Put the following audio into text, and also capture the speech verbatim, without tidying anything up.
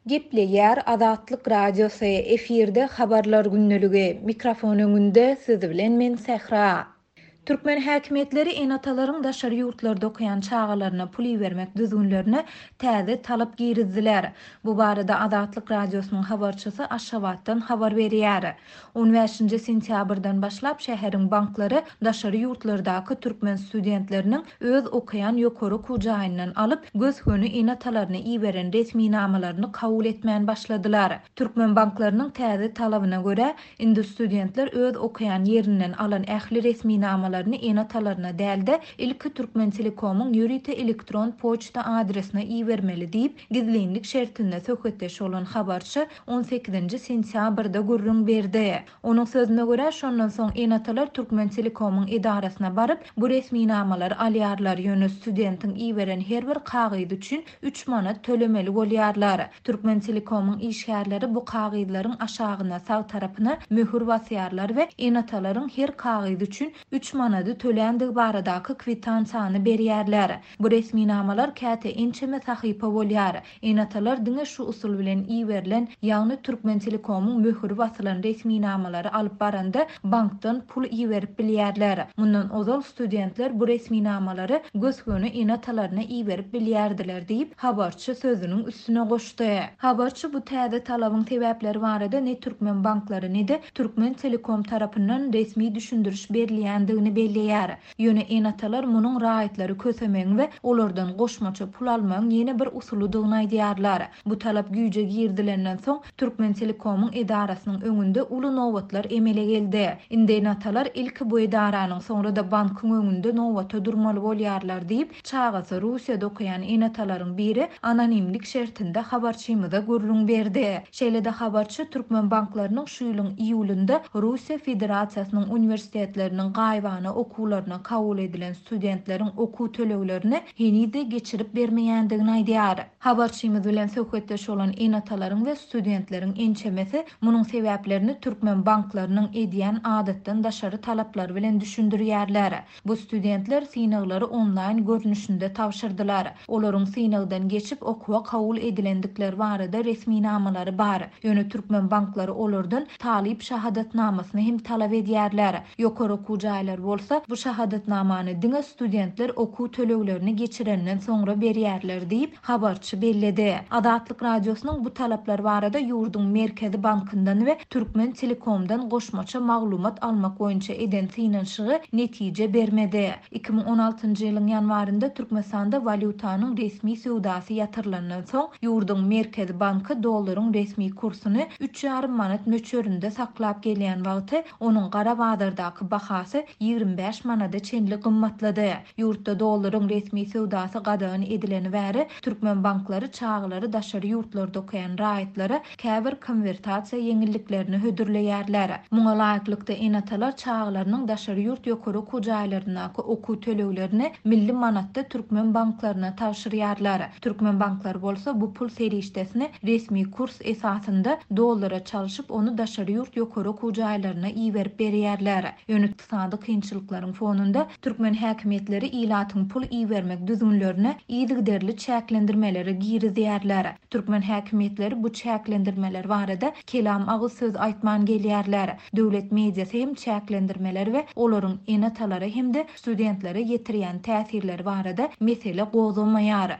Gepleýär Azatlyk Radiosy, efirde Habarlar gündeligi, mikrofon öňünde siz bilen men Sähra. Türkmen häkimiýetleri ene-atalaryň daşary ýurtlarda okaýan çagalaryna pul ibermek düzgünlerine täze talap girizdiler. Bu barada Azatlyk Radiosynyň habarçysy Aşgabatdan habar berýär. On bäşinji sentýabrdan başlap şäheriň banklary daşary ýurtlardaky türkmen studentleriniň öz okaýan ýokary okuw jaýyndan alyp, gös-göni ene-atalaryna iberen resminamalaryny kabul etmän başladylar. Türkmen banklarynyň täze talabyna görä, indi studentler öz okaýan ýerinden alan ähli resminamalaryny ene-atalaryna däl-de, ilki Türkmentelekomyň ýörite elektron poçta adresine ibermeli diýip, gizlinlik şertinde söhbetdeş bolan habarçy on sekizinji sentýabrda gürrüň berdi. Onuň sözüne görä, şondan soň ene-atalar Türkmentelekomyň edarasyna baryp, bu resminamalary alýarlar, ýöne studentiň iberen her bir kagyzy üçin üç manat tölemeli bolýarlar. Türkmentelekomyň işgärleri bu kagyzlaryň aşagyna sag tarapyna möhür basýarlar we ene-atalaryň her kagyzy üçin üç manady töländigi baradaky kwitansiýany berýärler. Bu resminamalar käte ençeme sahypa bolýar. Ene-atalar diňe şu usul bilen iberilen, ýagny Türkmentelekomyň möhüri basylan resminamalary alyp baranda bankdan pul iberip bilýärler. Mundan ozal studentler bu resminamalary gös-göni ene-atalaryna iberip bilýärdiler diýip, habarçy sözüniň üstüne goşdy. Habarçy bu täze talabyň sebäpleri barada ne türkmen banklary ne-de Türkmentelekom tarapyndan resmi düşündiriş berilýändigini belleýär. Ýöne ene-atalar munuň raýatlary kösemegiň we olardan goşmaça pul almagyň ýene bir usulydygyny aýdýarlar. Bu talap güýje girdilenden soň Türkmentelekomyň edarasynyň öňünde uly nobatlar emele geldi. Indi ene-atalar ilki bu edaranyň, soňra da bankyň öňünde nobata durmaly bolýarlar diýip, çagasy Russiýada okaýan ene-atalaryň biri anonimlik şertinde habarçymyza gürrüň berdi. Şeýle-de habarçy türkmen banklarynyň şu ýylyň iýulynda Russiýa Federasiýasynyň uniwersitetleriniň gaýybana okuwlaryna kabul edilen studentleriň okuw töleglerini heniz-de geçirip bermeýändigini aýdýar. Habarçymyz bilen söhbetdeş bolan ene-atalaryň we studentleriň ençemesi munuň sebäplerini türkmen banklarynyň edýän adatdan daşary talaplary bilen düşündirýärler. Bu studentler synaglary onlaýn görnüşinde tabşyrdylar. Olaryň synagdan geçip okuwa kabul edilendikleri barada resminamalary bar. Ýöne türkmen banklary olardan talyp şahadatnamasyny hem talap edýärler. Ýokary okuw jaýlary bolsa bu şahadatnamany diňe studentler okuw töleglerini geçirenden soňra berýärler diýip, habarçy belledi. Azatlyk Radiosynyň bu talaplar barada ýurduň Merkezi Bankyndan we Türkmentelekomdan goşmaça maglumat almak boýunça eden synanyşygy netije bermedi. iki müň on altynjy ýylyň ýanwarynda Türkmenistanda walýutanyň resmi söwdasy ýatyrylandan soň ýurduň Merkezi Banky dollaryň resmi kursuny üç ýarym manat möçberinde saklap gelýän wagty onuň gara bazardaky bahasy ýigrimi bäş manada çenli gymmatlady. Ýurtda dollaryň resmi söwdasy gadagan edileni bäri türkmen banklary çagalary daşary ýurtlarda okaýan raýatlara käbir konwertasiýa ýeňilliklerini hödürleýärler. Muňa laýyklykda ene-atalar çagalarynyň daşary ýurt ýokary okuw jaýlaryndaky okuw töleglerini milli manatda türkmen banklaryna tabşyrýarlar. Türkmen banklary bolsa bu pul serişdesini resmi kurs esasynda dollara çalşyp ony daşary ýurt ýokary okuw jaýlaryna iberip berýärler. Ýöne ykdysady kynçylyklaryň fonunda türkmen häkimiýetleri ilatyň pul ibermek düzgünlerine yzygiderli çäklendirmeleri girizýärler. Türkmen häkimiýetleri bu çäklendirmeler barada kelam agyz söz aýtman gelýärler. Döwlet mediasy hem çäklendirmeler we olaryň ene-atalara hem-de studentlere ýetirýän täsirleri barada mesele gozgamaýar.